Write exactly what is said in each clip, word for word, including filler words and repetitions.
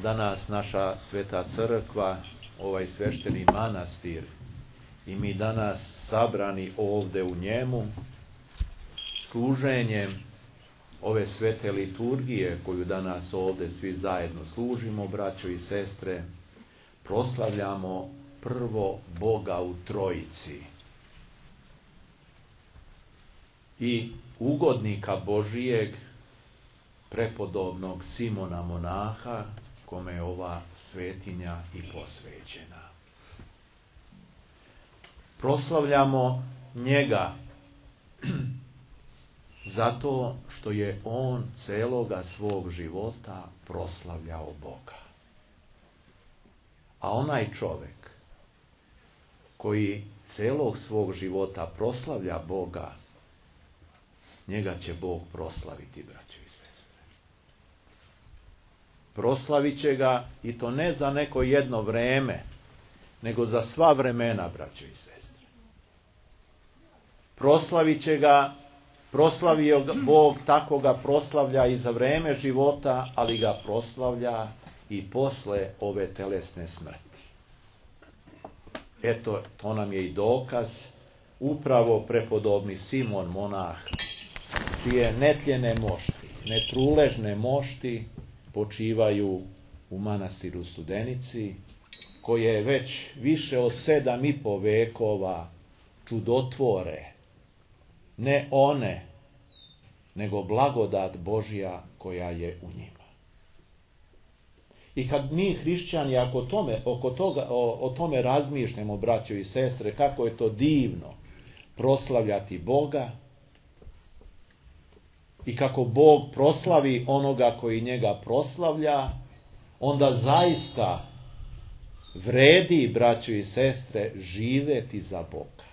danas naša sveta crkva, ovaj svešteni manastir, i mi danas sabrani ovdje u njemu, služenjem ove svete liturgije koju danas ovdje svi zajedno služimo, braćo i sestre, proslavljamo prvo Boga u Trojici i ugodnika Božijeg, prepodobnog Simona monaha, kome je ova svetinja i posvećena. Proslavljamo njega zato što je on celoga svog života proslavljao Boga. A onaj čovjek koji celog svog života proslavlja Boga, njega će Bog proslaviti, braćo i sestre. Proslavit će ga, i to ne za neko jedno vreme, nego za sva vremena, braćo i sestre. Proslavit će ga, proslavio ga Bog, tako ga proslavlja i za vreme života, ali ga proslavlja i posle ove telesne smrti. Eto, to nam je i dokaz, upravo prepodobni Simon monah, čije netljene mošti, netruležne mošti počivaju u manastiru Studenici, koje je već više od sedam i po vekova čudotvore, ne one, nego blagodat Božja koja je u njima. I kad mi hrišćani ako tome, oko toga, o, o tome razmišljamo, braćo i sestre, kako je to divno proslavljati Boga i kako Bog proslavi onoga koji njega proslavlja, onda zaista vredi, braćo i sestre, živeti za Boga.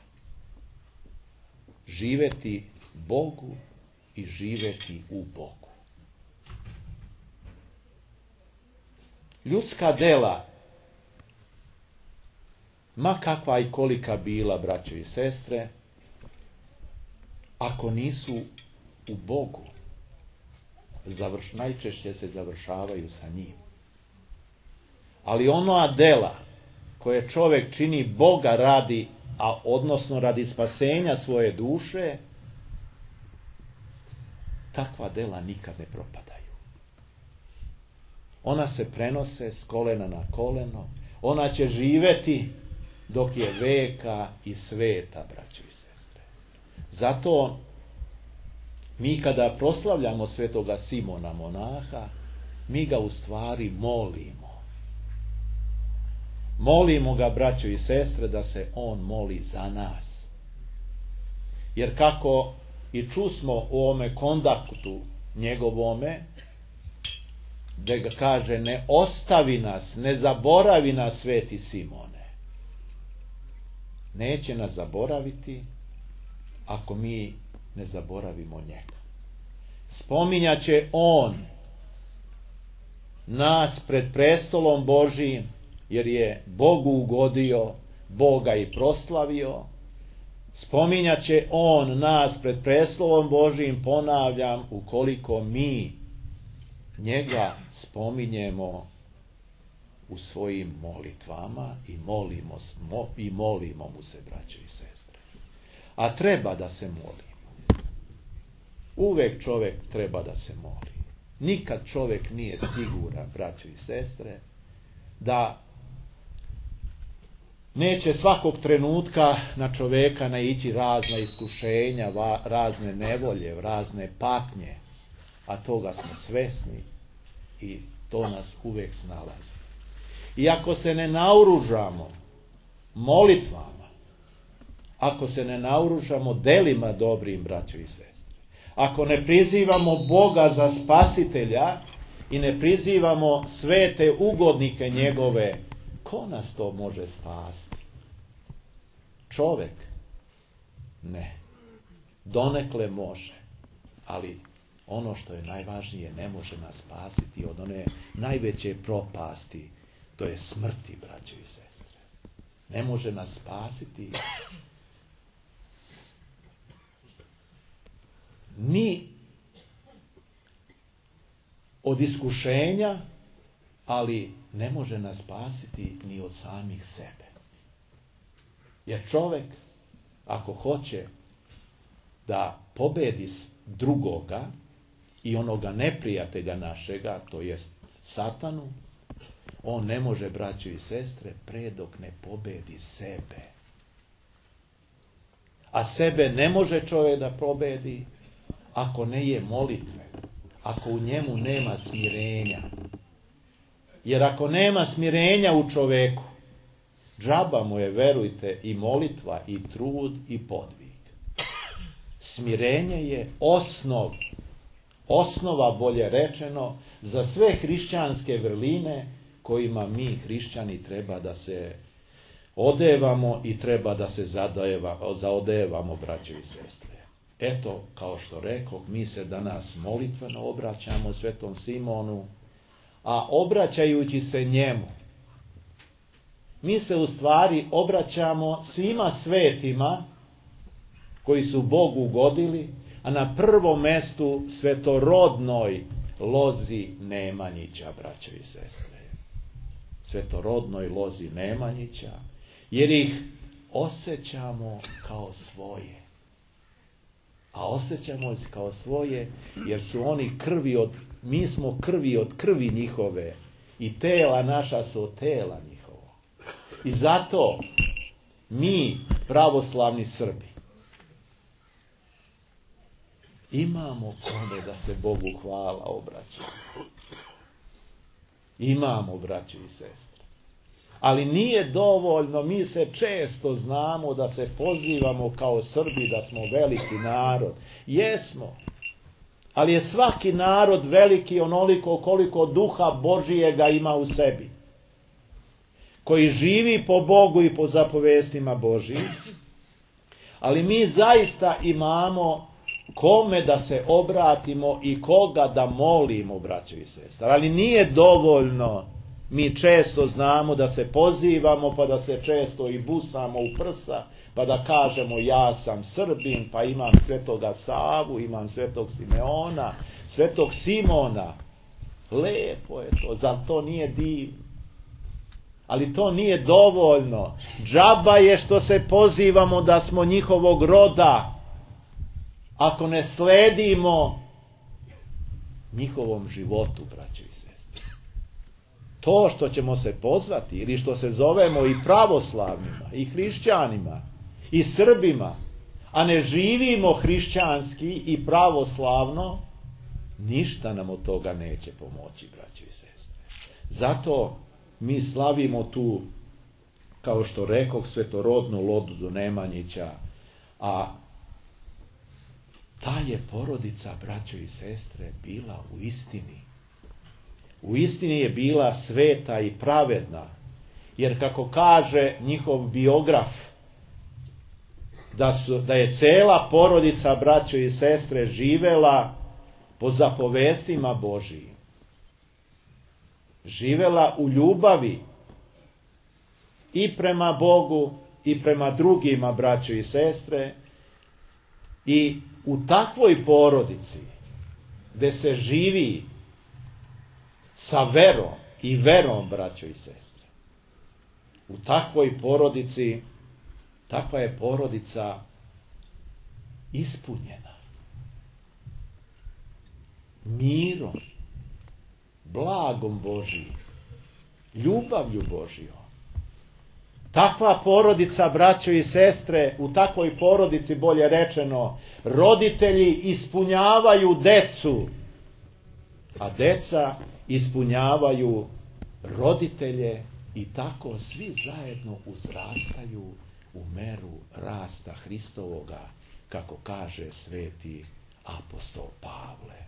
Živeti Bogu i živeti u Bogu. Ljudska dela, ma kakva i kolika bila, braćo i sestre, ako nisu u Bogu, završ, najčešće se završavaju sa njim. Ali ona dela koje čovjek čini Boga radi, a odnosno radi spasenja svoje duše, takva dela nikad ne propadaju. Ona se prenose s kolena na koleno, ona će živeti dok je veka i sveta, braćo i sestre. Zato mi kada proslavljamo svetoga Simona monaha, mi ga u stvari molimo. Molimo ga, braćo i sestre, da se on moli za nas. Jer kako i čusmo u ovome kontaktu njegovome, da ga kaže, ne ostavi nas, ne zaboravi nas, sveti Simone. Neće nas zaboraviti ako mi ne zaboravimo njega. Spominjat će on nas pred prestolom Božijim, jer je Bogu ugodio, Boga i proslavio. Spominjat će on nas pred prestolom Božijim, ponavljam, ukoliko mi njega spominjemo u svojim molitvama i molimo, i molimo mu se, braćo i sestre. A treba da se moli. Uvek čovjek treba da se moli. Nikad čovjek nije siguran, braćo i sestre, da neće svakog trenutka na čovjeka naići razna iskušenja, razne nevolje, razne patnje, a toga smo svesni i to nas uvijek snalazi. I ako se ne naoružamo molitvama, ako se ne naoružamo delima dobrim, braćo i sestre, ako ne prizivamo Boga za spasitelja i ne prizivamo svete ugodnike njegove, ko nas to može spasiti? Čovjek? Ne. Donekle može. Ali ono što je najvažnije, ne može nas spasiti od one najveće propasti, to je smrti, braćo i sestre. Ne može nas spasiti ni od iskušenja, ali ne može nas spasiti ni od samih sebe. Jer čovjek, ako hoće da pobedi drugoga i onoga neprijatelja našega, to jest satanu, on ne može, braćo i sestre, pre dok ne pobedi sebe. A sebe ne može čovjek da pobedi ako ne je molitve, ako u njemu nema smirenja. Jer ako nema smirenja u čoveku, džaba mu je, verujte, i molitva, i trud, i podvig. Smirenje je osnov, osnova, bolje rečeno, za sve hrišćanske vrline kojima mi, hrišćani, treba da se odevamo i treba da se zadeva, zaodevamo, braćo i sestre. Eto, kao što rekoh, mi se danas molitveno obraćamo svetom Simonu, a obraćajući se njemu, mi se u stvari obraćamo svima svetima koji su Bogu ugodili, a na prvom mestu svetorodnoj lozi Nemanjića, braćo i sestre. Svetorodnoj lozi Nemanjića, jer ih osjećamo kao svoje. A osjećamo ih kao svoje, jer su oni krvi od, mi smo krvi od krvi njihove i tela naša su od tela njihova. I zato mi, pravoslavni Srbi, imamo kome da se Bogu hvala obraćamo. Imamo, braćo i sestre. Ali nije dovoljno, mi se često znamo da se pozivamo kao Srbi da smo veliki narod. Jesmo. Ali je svaki narod veliki onoliko koliko duha Božijega ima u sebi. Koji živi po Bogu i po zapovestima Božijim. Ali mi zaista imamo kome da se obratimo i koga da molimo, braćo i sestre. Ali nije dovoljno, mi često znamo da se pozivamo, pa da se često i busamo u prsa, pa da kažemo ja sam Srbin, pa imam svetoga Savu, imam svetog Simeona, svetog Simona. Lepo je to, zar to nije divno? Ali to nije dovoljno. Džaba je što se pozivamo da smo njihovog roda, ako ne sledimo njihovom životu, braćo i sestre. To što ćemo se pozvati ili što se zovemo i pravoslavnima, i hrišćanima, i Srbima, a ne živimo hrišćanski i pravoslavno, ništa nam od toga neće pomoći, braćo i sestre. Zato mi slavimo tu, kao što rekoh, svetorodnu lozu Nemanjića, a ta je porodica, braćo i sestre, bila u istini. U istini je bila sveta i pravedna, jer kako kaže njihov biograf, da, su, da je cela porodica, braćo i sestre, živela po zapovestima Božijim. Živela u ljubavi i prema Bogu i prema drugima, braćo i sestre, i u takvoj porodici gde se živi sa verom i verom, braćo i sestre, u takvoj porodici, takva je porodica ispunjena mirom, blagom Božijim, ljubavlju Božijom. Takva porodica, braćo i sestre, u takvoj porodici, bolje rečeno, roditelji ispunjavaju decu, a deca ispunjavaju roditelje i tako svi zajedno uzrastaju u meru rasta Hristovoga, kako kaže sveti apostol Pavle.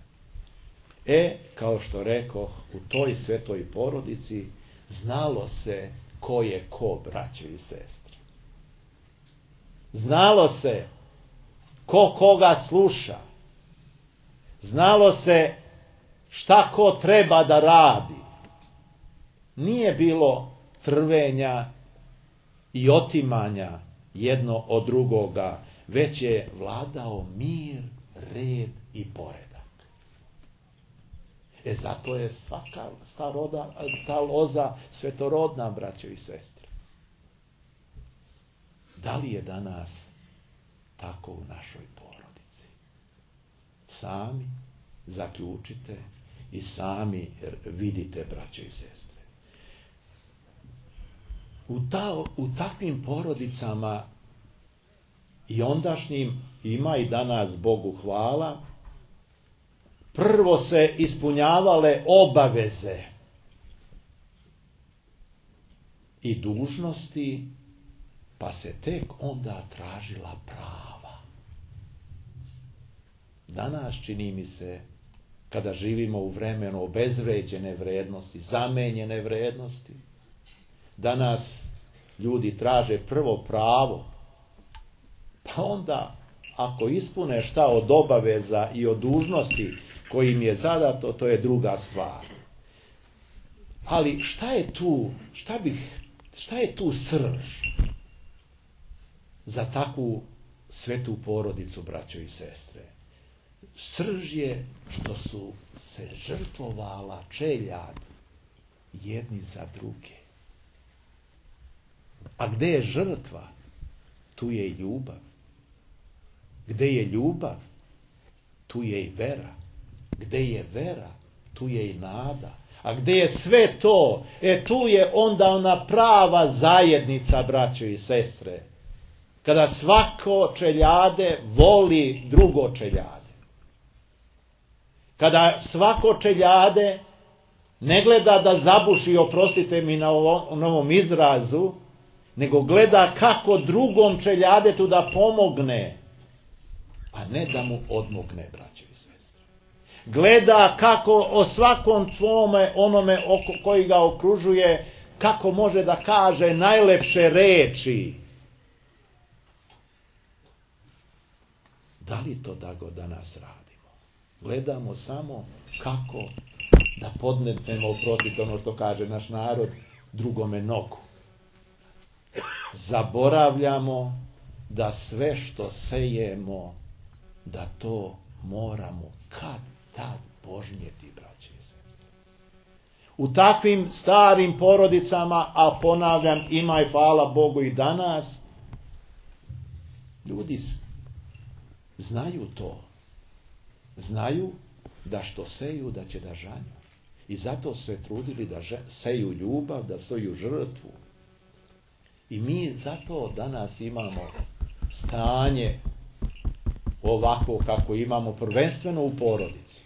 E, kao što rekoh, u toj svetoj porodici znalo se ko je ko, braćo i sestre. Znalo se ko koga sluša. Znalo se šta ko treba da radi. Nije bilo trvenja i otimanja jedno od drugoga, već je vladao mir, red i poredak. E zato je svaka ta, roda, ta loza svetorodna, braćo i sestre. Da li je danas tako u našoj porodici? Sami zaključite i sami vidite, braćo i sestre. U, ta, u takvim porodicama i ondašnjim, ima i danas, Bogu hvala, prvo se ispunjavale obaveze i dužnosti, pa se tek onda tražila prava. Danas, čini mi se, kada živimo u vremenu obezvređene vrednosti, zamenjene vrednosti, danas ljudi traže prvo pravo, pa onda, ako ispune šta od obaveza i od dužnosti koji im je zadato, to je druga stvar. Ali šta je tu, šta bih, šta je tu srž za takvu svetu porodicu, braćo i sestre? Srž je što su se žrtvovala čeljad jedni za druge. A gde je žrtva, tu je i ljubav. Gde je ljubav, tu je i vera. Gde je vera, tu je i nada. A gde je sve to, e tu je onda ona prava zajednica, braćo i sestre. Kada svako čeljade voli drugo čeljade. Kada svako čeljade ne gleda da zabuši, oprostite mi na ovom, novom izrazu, nego gleda kako drugom čeljadetu da pomogne, a ne da mu odmogne, braćo i sestre. Gleda kako o svakom tvome, onome oko, koji ga okružuje, kako može da kaže najlepše reči. Da li to da go danas radimo? Gledamo samo kako da podmetnemo, oprostite ono što kaže naš narod, drugome nogu. Zaboravljamo da sve što sejemo, da to moramo kad tad požnjeti, braće i sestre. U takvim starim porodicama, a ponavljam, ima i hvala Bogu i danas, ljudi znaju to. Znaju da što seju, da će da žanju. I zato su se trudili da seju ljubav, da seju žrtvu. I mi zato danas imamo stanje ovako kako imamo, prvenstveno u porodici.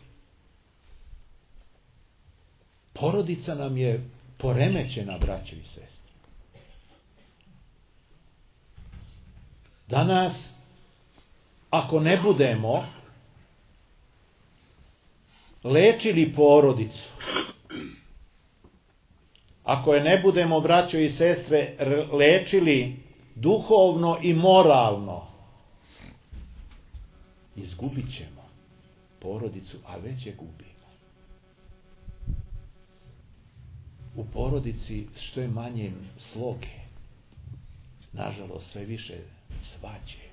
Porodica nam je poremećena, braćo i sestre. Danas, ako ne budemo lečili porodicu, ako je ne budemo, braćo i sestre, lečili duhovno i moralno, izgubit ćemo porodicu, a već je gubimo. U porodici sve manje sloge, nažalost sve više svađe.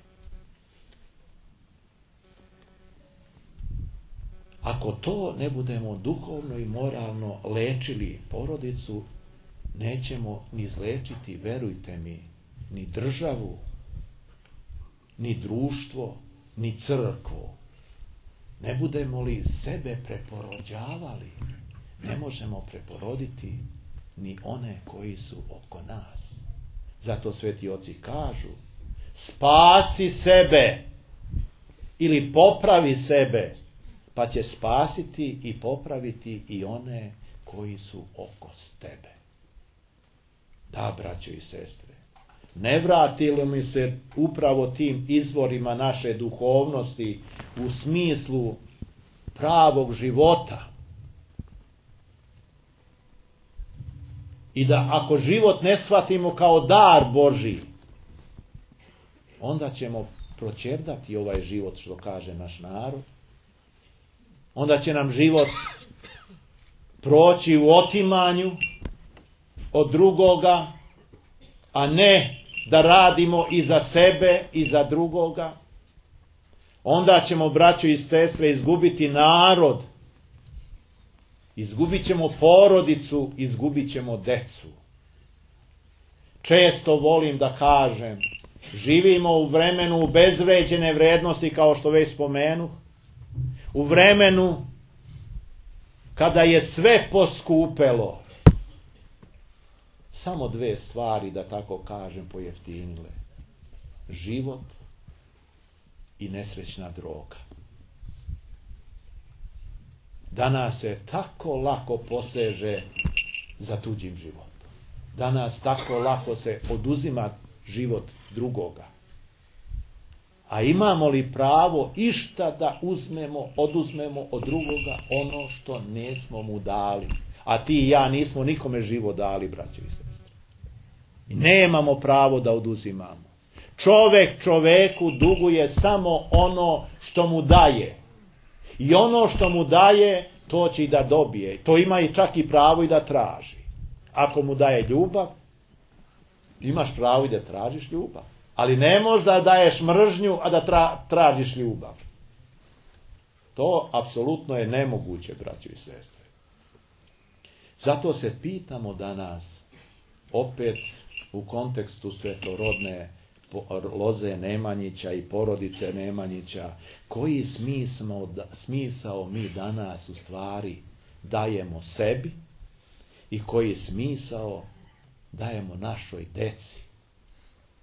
Ako to ne budemo duhovno i moralno lečili porodicu, nećemo ni izlečiti, verujte mi, ni državu, ni društvo, ni crkvu. Ne budemo li sebe preporođavali, ne možemo preporoditi ni one koji su oko nas. Zato sveti oci kažu, spasi sebe ili popravi sebe, pa će spasiti i popraviti i one koji su oko tebe. Da, braćo i sestre, ne vratilo mi se upravo tim izvorima naše duhovnosti u smislu pravog života. I da ako život ne shvatimo kao dar Božji, onda ćemo proćerdati ovaj život, što kaže naš narod. Onda će nam život proći u otimanju od drugoga, a ne da radimo i za sebe i za drugoga. Onda ćemo, braćo i sestre, izgubiti narod. Izgubit ćemo porodicu, izgubit ćemo decu. Često volim da kažem, živimo u vremenu obezvređene vrednosti, kao što već spomenu, u vremenu kada je sve poskupelo. Samo dve stvari, da tako kažem, pojeftinile. Život i nesrećna droga. Danas se tako lako poseže za tuđim životom. Danas tako lako se oduzima život drugoga. A imamo li pravo išta da uzmemo, oduzmemo od drugoga ono što nismo mu dali? A ti i ja nismo nikome život dali, braćo i sestre. I nemamo pravo da oduzimamo. Čovek čoveku duguje samo ono što mu daje. I ono što mu daje, to će i da dobije. To ima i čak i pravo i da traži. Ako mu daje ljubav, imaš pravo i da tražiš ljubav. Ali ne možeš da daješ mržnju, a da tra, tražiš ljubav. To apsolutno je nemoguće, braćo i sestre. Zato se pitamo danas, opet u kontekstu svetorodne loze Nemanjića i porodice Nemanjića, koji smisao, smisao mi danas u stvari dajemo sebi i koji smisao dajemo našoj deci.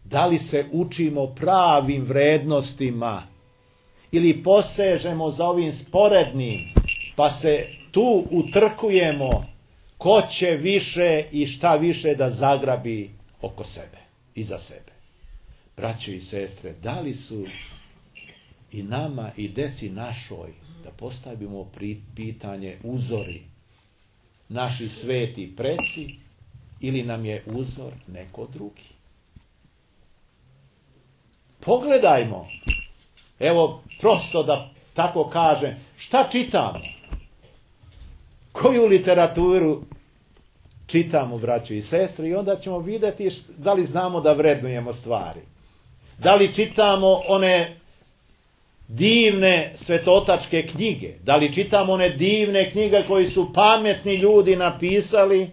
Da li se učimo pravim vrednostima ili posežemo za ovim sporednim, pa se tu utrkujemo ko će više i šta više da zagrabi oko sebe i za sebe. Braćo i sestre, da li su i nama i deci našoj, da postavimo pitanje, uzori naši sveti preci ili nam je uzor neko drugi? Pogledajmo, evo prosto da tako kažem, šta čitamo? Koju literaturu čitamo, braćo i sestre, i onda ćemo vidjeti da li znamo da vrednujemo stvari. Da li čitamo one divne svetotačke knjige? Da li čitamo one divne knjige koji su pametni ljudi napisali?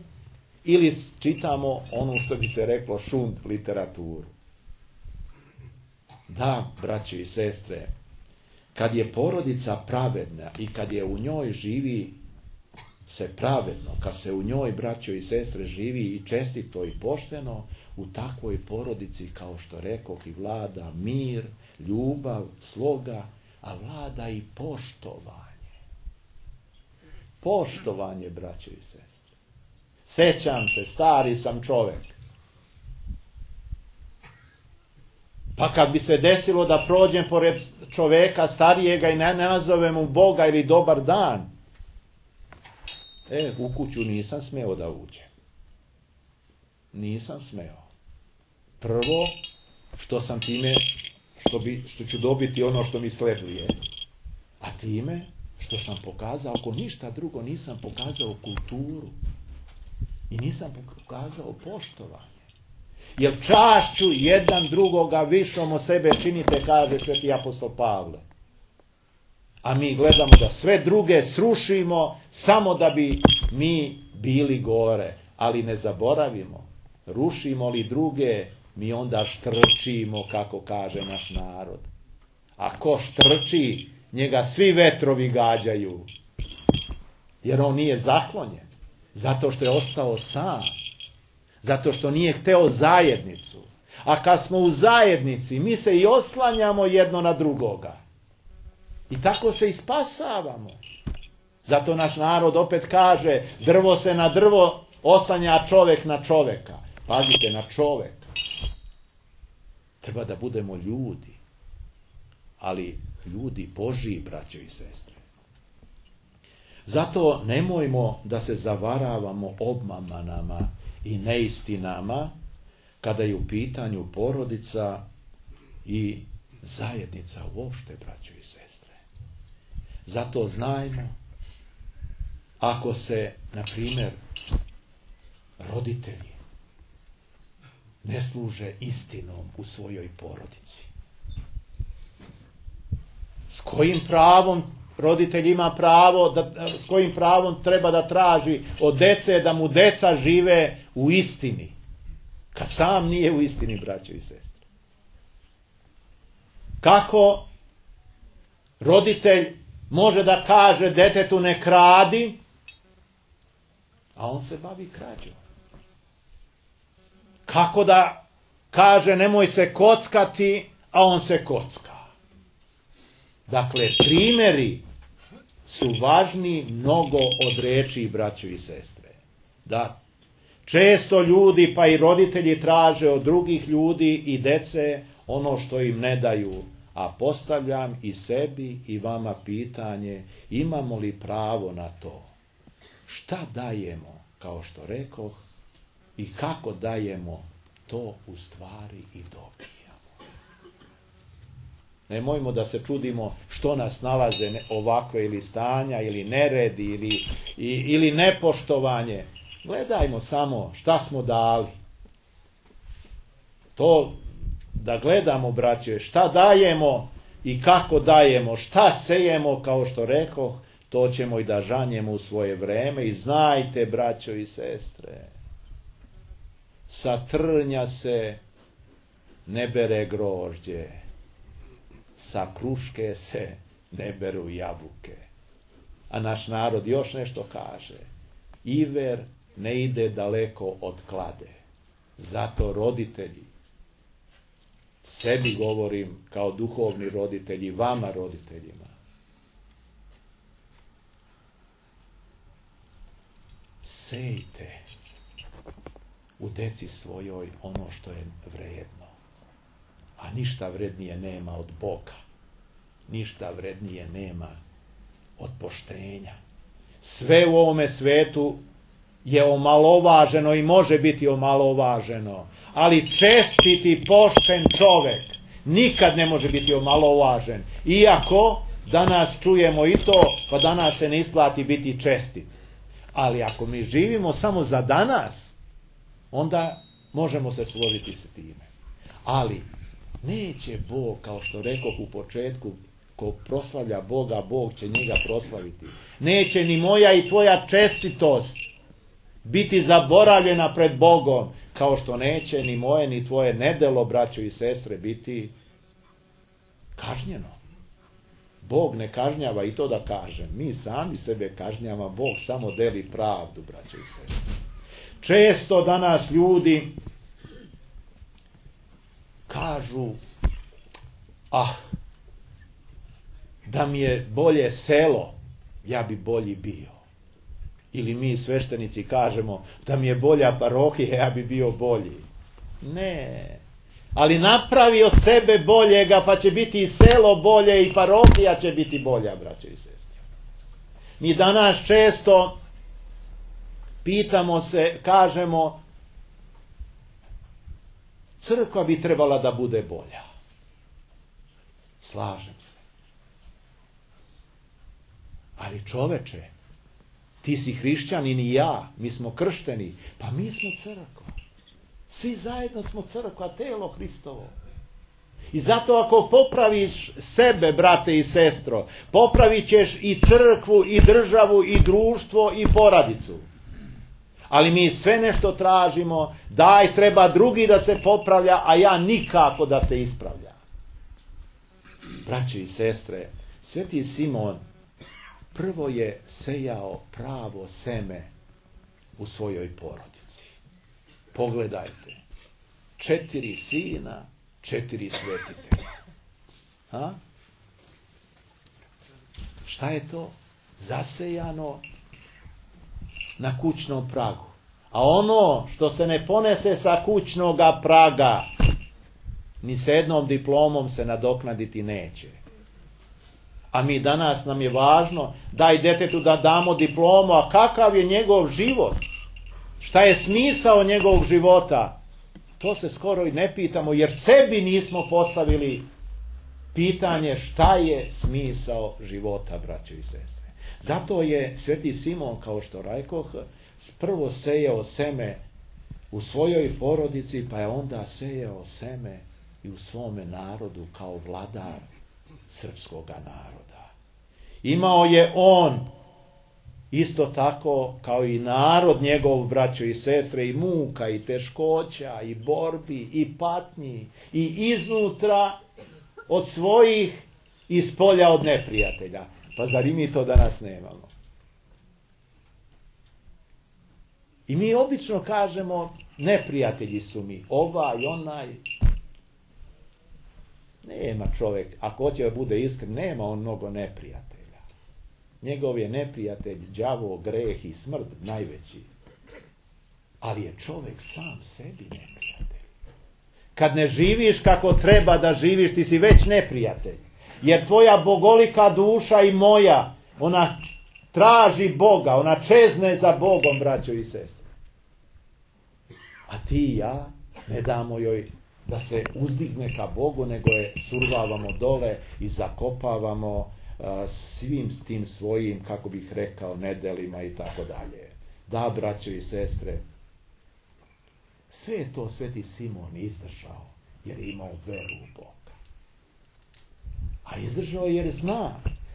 Ili čitamo ono što bi se reklo šund literaturu? Da, braće i sestre, kad je porodica pravedna i kad je u njoj živi se pravedno, kad se u njoj, braćo i sestre, živi i čestito i pošteno, u takvoj porodici, kao što rekoh, i vlada mir, ljubav, sloga, a vlada i poštovanje. Poštovanje, braćo i sestre. Sećam se, stari sam čovek. Pa kad bi se desilo da prođem pored čoveka starijega i ne nazovem mu Boga ili dobar dan, e, u kuću nisam smeo da uđem. Nisam smeo. Prvo, što sam time, što, bi, što ću dobiti ono što mi sleduje. A time, što sam pokazao, ako ništa drugo, nisam pokazao kulturu. I nisam pokazao poštovanje. Jer čašću jedan drugoga višom o sebe činite, kaže sveti apostol Pavle. A mi gledamo da sve druge srušimo samo da bi mi bili gore. Ali ne zaboravimo, rušimo li druge, mi onda štrčimo, kako kaže naš narod. A ko štrči, njega svi vetrovi gađaju. Jer on nije zaklonjen. Zato što je ostao sam. Zato što nije hteo zajednicu. A kad smo u zajednici, mi se i oslanjamo jedno na drugoga. I tako se i spasavamo. Zato naš narod opet kaže, drvo se na drvo oslanja, a čovek na čoveka. Pazite, na čoveka. Treba da budemo ljudi. Ali ljudi Božji, braćo i sestre. Zato nemojmo da se zavaravamo obmanama i neistinama kada je u pitanju porodica i zajednica uopšte, braćo i sestre. Zato znajmo, ako se, na primjer, roditelji ne služe istinom u svojoj porodici, s kojim pravom roditelj ima pravo, da, s kojim pravom treba da traži od dece da mu deca žive u istini, kad sam nije u istini, braćo i sestre? Kako roditelj može da kaže detetu ne kradi, a on se bavi krađom? Kako da kaže nemoj se kockati, a on se kocka? Dakle, primjeri su važni mnogo od riječi, braćo i sestre. Da često ljudi, pa i roditelji, traže od drugih ljudi i dece ono što im ne daju. A postavljam i sebi i vama pitanje, imamo li pravo na to? Šta dajemo, kao što rekoh, i kako dajemo, to u stvari i dobijamo. Nemojmo da se čudimo što nas nalaze ovakve ili stanja, ili neredi, ili, ili nepoštovanje. Gledajmo samo šta smo dali. To da gledamo, braće, šta dajemo i kako dajemo, šta sejemo, kao što rekoh, to ćemo i da žanjemo u svoje vreme. I znajte, braćo i sestre, sa trnja se ne bere grožđe, sa kruške se ne beru jabuke. A naš narod još nešto kaže: iver ne ide daleko od klade. Zato roditelji, sebi govorim kao duhovni roditelji, vama roditeljima, sejte u deci svojoj ono što je vrijedno, a ništa vrednije nema od Boga, ništa vrednije nema od poštenja. Sve u ovome svetu je omalovaženo i može biti omalovaženo, ali čestiti, pošten čovek nikad ne može biti omalovažen. Iako danas čujemo i to, pa danas se ne isplati biti čestit. Ali ako mi živimo samo za danas, onda možemo se složiti s time. Ali neće Bog, kao što rekoh u početku, ko proslavlja Boga, Bog će njega proslaviti. Neće ni moja i tvoja čestitost biti zaboravljena pred Bogom, kao što neće ni moje ni tvoje nedelo, braćo i sestre, biti kažnjeno. Bog ne kažnjava, i to da kažem. Mi sami sebe kažnjava, Bog samo deli pravdu, braćo i sestre. Često danas ljudi kažu: ah, da mi je bolje selo, ja bi bolji bio. Ili mi sveštenici kažemo: da mi je bolja parohija, ja bi bio bolji. Ne. Ali napravi od sebe boljega, pa će biti i selo bolje i parohija će biti bolja, braće i sestre. Mi danas često pitamo se, kažemo: crkva bi trebala da bude bolja. Slažem se. Ali čoveče, ti si hrišćanin i ja, mi smo kršteni, pa mi smo crkva. Svi zajedno smo crkva, telo Hristovo. I zato ako popraviš sebe, brate i sestro, popravit ćeš i crkvu, i državu, i društvo, i porodicu. Ali mi sve nešto tražimo, daj, treba drugi da se popravlja, a ja nikako da se ispravlja. Braće i sestre, Sveti Simon prvo je sejao pravo seme u svojoj porodici. Pogledajte, četiri sina, četiri svetitelja. Ha? Šta je to? Zasejano na kućnom pragu. A ono što se ne ponese sa kućnoga praga, ni s jednom diplomom se nadoknaditi neće. A mi danas, nam je važno, daj detetu da damo diplomu, a kakav je njegov život? Šta je smisao njegovog života? To se skoro i ne pitamo, jer sebi nismo postavili pitanje šta je smisao života, braćo i sestre. Zato je Sveti Simon, kao što rekoh, prvo sejao seme u svojoj porodici, pa je onda sejao seme i u svome narodu kao vladar srpskoga naroda. Imao je on isto tako kao i narod njegov, braćo i sestre, i muka, i teškoća, i borbi, i patnji, i iznutra od svojih i spolja od neprijatelja. Pa zar i mi to danas nemamo? I mi obično kažemo, neprijatelji su mi, ovaj, onaj. Nema čovjek, ako hoće da bude iskren, nema on mnogo neprijatelja. Njegov je neprijatelj đavo, greh i smrt najveći. Ali je čovjek sam sebi neprijatelj. Kad ne živiš kako treba da živiš, ti si već neprijatelj. Jer tvoja bogolika duša i moja, ona traži Boga, ona čezne za Bogom, braćo i sestre. A ti i ja ne damo joj da se uzdigne ka Bogu, nego je survavamo dole i zakopavamo uh, svim s tim svojim, kako bih rekao, nedelima i tako dalje. Da, braćo i sestre, sve je to Sveti Simon izdržao, jer je imao veru u Boga. A izdržao jer zna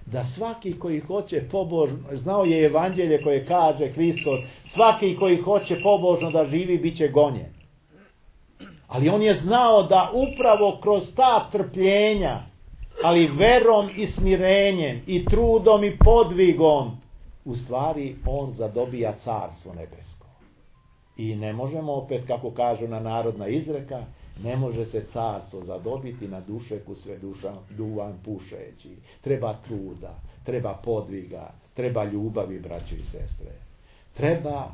da svaki koji hoće pobožno, znao je evanđelje koje kaže Hristos, svaki koji hoće pobožno da živi, bit će gonjen. Ali on je znao da upravo kroz ta trpljenja, ali verom i smirenjem i trudom i podvigom, u stvari on zadobija carstvo nebesko. I ne možemo opet, kako kažu na narodna izreka, ne može se carstvo zadobiti na dušeku sve duša, duvan pušeći. Treba truda, treba podviga, treba ljubavi, braćo i sestre. Treba,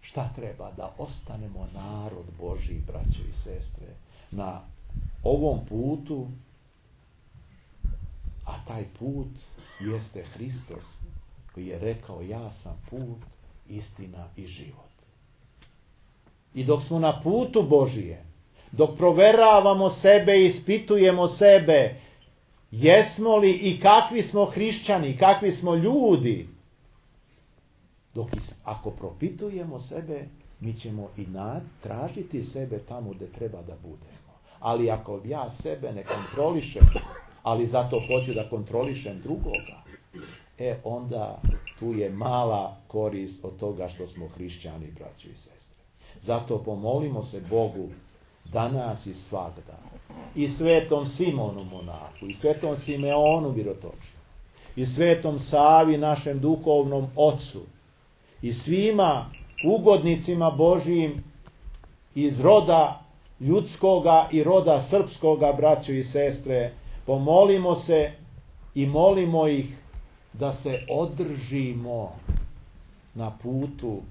šta treba? Da ostanemo narod Božji, braćo i sestre, na ovom putu, a taj put jeste Hristos, koji je rekao, ja sam put, istina i život. I dok smo na putu Božije, dok proveravamo sebe i ispitujemo sebe, jesmo li i kakvi smo hrišćani, kakvi smo ljudi, dok ako propitujemo sebe, mi ćemo i tražiti sebe tamo gdje treba da budemo. Ali ako ja sebe ne kontrolišem, ali zato hoću da kontrolišem drugoga, e onda tu je mala korist od toga što smo hrišćani, braćo i sestre. Zato pomolimo se Bogu danas i svagda, i svetom Simonu monahu, i svetom Simeonu Virotočiju, i svetom Savi našem duhovnom ocu, i svima ugodnicima Božijim iz roda ljudskoga i roda srpskoga, braćo i sestre, pomolimo se i molimo ih da se održimo na putu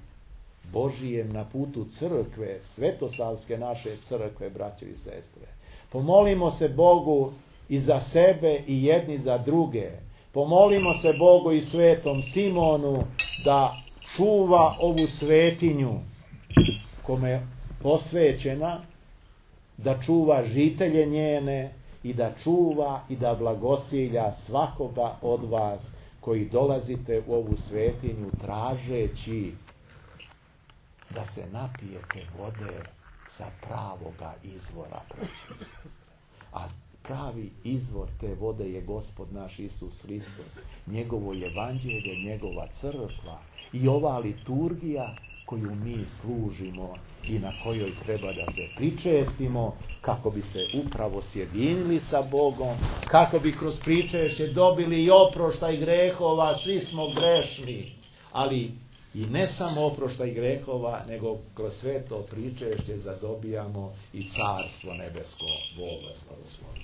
Božijem, na putu crkve, svetosavske naše crkve, braćo i sestre. Pomolimo se Bogu i za sebe i jedni za druge. Pomolimo se Bogu i svetom Simonu da čuva ovu svetinju kome je posvećena, da čuva žitelje njene i da čuva i da blagosilja svakoga od vas koji dolazite u ovu svetinju tražeći da se napijete vode sa pravoga izvora, braćo i sestre. A pravi izvor te vode je Gospod naš Isus Hristos, njegovo evanđelje, njegova crkva i ova liturgija koju mi služimo i na kojoj treba da se pričestimo kako bi se upravo sjedinili sa Bogom, kako bi kroz pričešće dobili i oproštaj grehova, svi smo grešni, ali i ne samo oproštaj grehova, nego kroz sve to pričešće zadobijamo i carstvo nebesko. Bog vas blagoslovi.